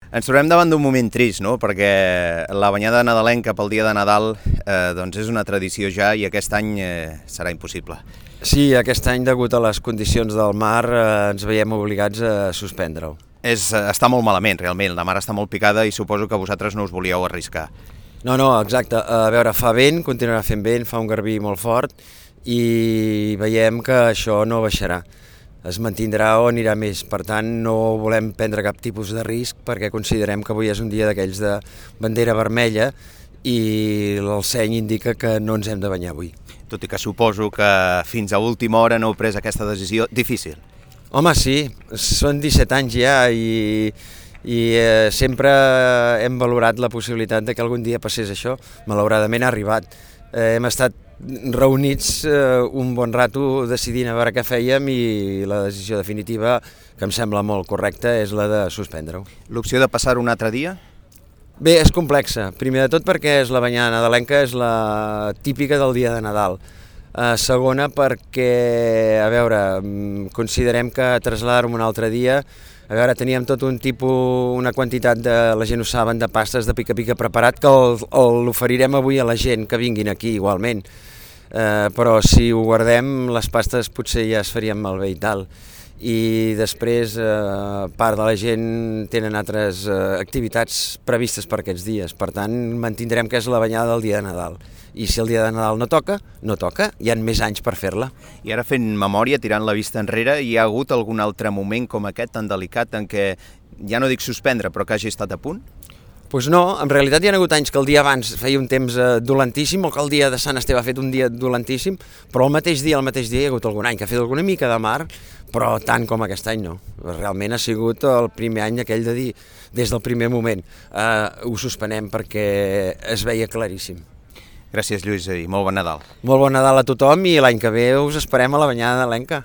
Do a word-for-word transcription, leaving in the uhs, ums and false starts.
Ens trobem davant d'un moment trist, no? Perquè la banyada nadalenca pel dia de Nadal eh, doncs és una tradició ja i aquest any eh, serà impossible. Sí, aquest any, degut a les condicions del mar, eh, ens veiem obligats a suspendre-ho. És, està molt malament, realment. La mar està molt picada i suposo que vosaltres no us volíeu arriscar. No, no, exacte. A veure, fa vent, continuarà fent vent, fa un garbí molt fort i veiem que això no baixarà. Es mantindrà o anirà més. Per tant, no volem prendre cap tipus de risc perquè considerem que avui és un dia d'aquells de bandera vermella i el seny indica que no ens hem de banyar avui. Tot i que suposo que fins a última hora no heu pres aquesta decisió difícil. Home, sí, són disset anys ja i, i eh, sempre hem valorat la possibilitat de que algun dia passés això. Malauradament ha arribat. Eh, hem estat reunits eh, un bon rato decidint a veure què fèiem i la decisió definitiva, que em sembla molt correcta, és la de suspendre-ho. L'opció de passar un altre dia? Bé, és complexa. Primer de tot perquè és la banyada nadalenca, és la típica del dia de Nadal. Uh, segona perquè, a veure, considerem que traslladar-ho un altre dia, a veure, teníem tot un tipus, una quantitat de, la gent ho saben, de pastes de pica-pica preparat que l'oferirem avui a la gent que vinguin aquí igualment. Uh, però si ho guardem, les pastes potser ja es farien malbé i tal. I després eh, part de la gent tenen altres eh, activitats previstes per aquests dies, per tant mantindrem que és la banyada del dia de Nadal i si el dia de Nadal no toca, no toca, hi ha més anys per fer-la. I ara fent memòria, tirant la vista enrere, hi ha hagut algun altre moment com aquest tan delicat en què, ja no dic suspendre, però que hagi estat a punt? Doncs pues no, en realitat hi ha hagut anys que el dia abans feia un temps eh, dolentíssim o que el dia de Sant Esteve ha fet un dia dolentíssim, però el mateix dia, el mateix dia hi ha hagut algun any que ha fet alguna mica de mar, però tant com aquest any no. Realment ha sigut el primer any aquell de dir, des del primer moment, eh, ho suspenem perquè es veia claríssim. Gràcies, Lluís, i molt bon Nadal. Molt bon Nadal a tothom i l'any que ve us esperem a la banyada nadalenca.